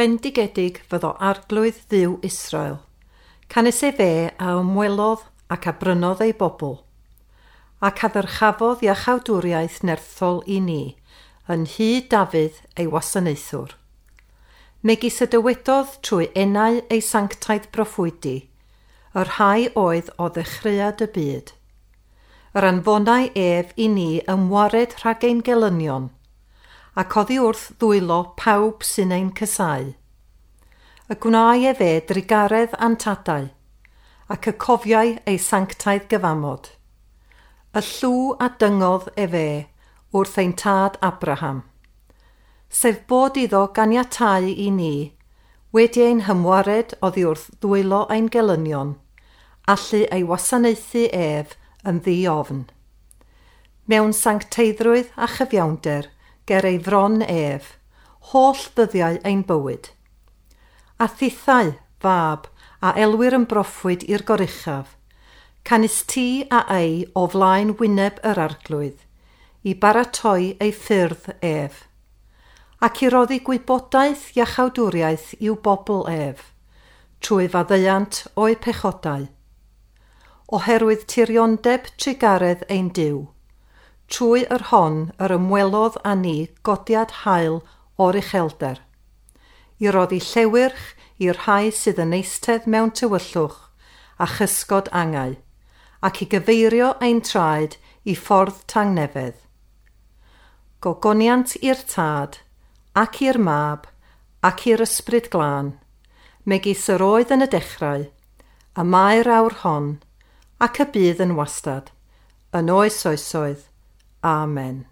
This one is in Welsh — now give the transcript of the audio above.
Bendigedig fyddo Arglwydd Dduw Israel, canys efe a ymwelodd ac a brynodd ei bobl, ac a ddyrchafodd iachawdwriaeth nerthol i ni, yn nhŷ Dafydd ei wasanaethwr. Megis y dywedodd trwy enau ei sanctaidd broffwydi, y rhai oedd o ddechreuad y byd. Yr anfonai ef i ni ymwared rhag ein gelynion, ac oddi wrth ddwylo pawb sy'n ein casáu. Y gwnâi efe drugaredd â'n tadau, ac y cofiai ei sanctaidd gyfamod. Y llw a dyngodd efe wrth ein tad Abraham, sef bod iddo ganiatáu i ni, wedi ein hymwared oddi wrth ddwylo ein gelynion, allu ei wasanaethu ef yn ddi-ofn. Mewn sancteiddrwydd a chyfiawnder ger ei fron ef, holl ddyddiau ein bywyd. A thithau, fab, a elwir yn broffwyd i'r Goruchaf, canys ti a ei o flaen wyneb yr Arglwydd, i baratoi ei ffyrdd ef, ac i roddi gwybodaeth iachawdwriaeth i'w bobl ef, trwy faddeuant o'u pechodau. Oherwydd tiriondeb trugaredd ein Duw, trwy yr hon yr ymwelodd â ni godiad haul o'r uchelder, i roddi llewyrch i'r rhai sydd yn eistedd mewn tywyllwch a chysgod angau, ac i gyfeirio ein traed i ffordd tangnefedd. Gogoniant i'r Tad, ac i'r Mab, ac i'r Ysbryd Glân, megis yr oedd yn y dechrau, y mae'r awr hon, ac y bydd yn wastad, yn oes oesoedd. Amen.